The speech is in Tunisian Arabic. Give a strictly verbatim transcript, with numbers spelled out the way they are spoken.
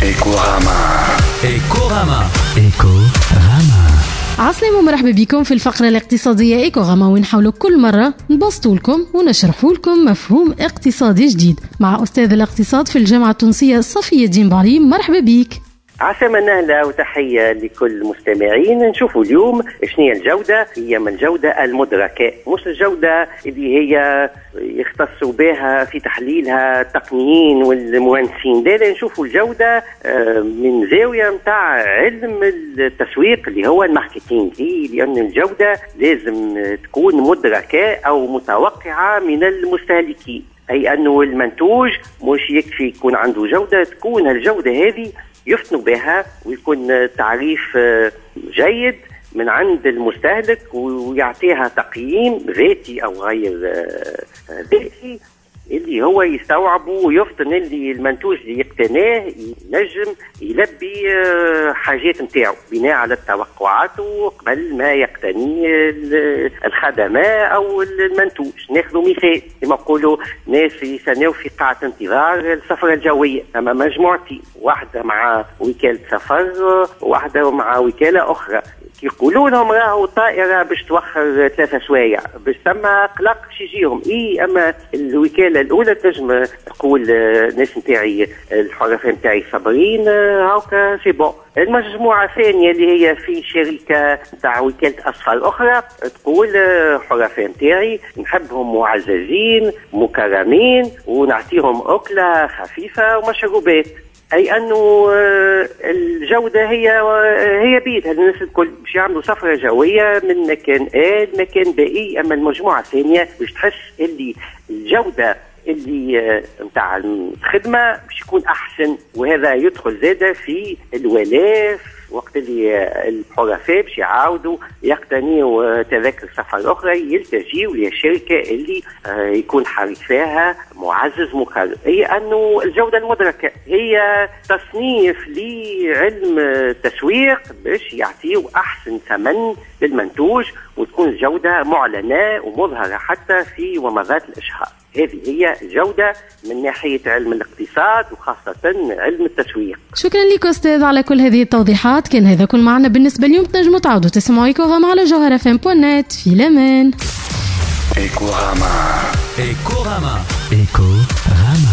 إيكوراما. إيكوراما. إيكوراما. عسلامة ومرحبا بكم في الفقرة الاقتصادية إيكوراما، وين نحاولوا كل مرة نبسطوا لكم ونشرحوا لكم مفهوم اقتصادي جديد مع أستاذ الاقتصاد في الجامعة التونسية صفي الدين بعلي. مرحبا بك. عسلامة نهلة وتحية لكل المستمعين. نشوفوا اليوم شنو هي الجودة. هي من الجودة المدركة، مش الجودة اللي هي يختصوا بها في تحليلها التقنيين والمهندسين. لا، نشوفوا الجودة من زاوية متاع علم التسويق اللي هو ال marketing، لأن الجودة لازم تكون مدركة أو متوقعة من المستهلكين، أي أنه المنتوج مش يكفي يكون عنده جودة، تكون الجودة هذه يفتنوا بها ويكون تعريف جيد من عند المستهلك ويعطيها تقييم ذاتي أو غير ذاتي اللي هو يستوعبه ويفطن اللي المنتوج اللي يقتناه ينجم يلبي حاجات نتاعو بناء على التوقعات وقبل ما يقتني الخدمة أو المنتوج. ناخذ مثال كما نقولوا ناس يستناو في قاعة انتظار السفر الجوية، أما مجموعتي واحدة مع وكالة سفر واحدة مع وكالة أخرى، يقولوا لهم راهو الطائرة باش توخر ثلاثة سوايع باش ثم قلق باش يجيهم. إيه، أما الوكالة الأولى تنجم تقول الناس نتاعي الحرفاء نتاعي صابرين هاكا c'est bon. المجموعة الثانية اللي هي في شركة تاع وكالة أسفار أخرى تقول حرفاء نتاعي نحبهم معززين مكرمين ونعطيهم أكلة خفيفة ومشروبات. أي أنه الجودة هي هي بيدها الناس الكل باش يعملوا سفرة جوية من مكان A لمكان B. أما المجموعة الثانية باش تحس اللي الجودة اللي نتاع الخدمة باش يكون أحسن، وهذا يدخل زادة في الولاء وقت اللي الحرفاء باش يعاودوا يقتنيوا تذاكر سفر أخرى يلتجيوا للشركة اللي يكون حريفاها معزز مكرم. هي أنه الجودة المدركة هي تصنيف لعلم التسويق باش يعطيوا أحسن ثمن للمنتوج وتكون الجودة معلنة ومظهرة حتى في ومضات الإشهار. هذه هي الجودة من ناحية علم الاقتصاد وخاصة علم التسويق. شكرا لك أستاذ على كل هذه التوضيحات. كان هذا كل معنا بالنسبة اليوم. تنجموا تعودوا تسمعوا إيكوراما على جوهرة إف إم دوت نت. في الأمان. إيكوراما. إيكوراما. إيكوراما.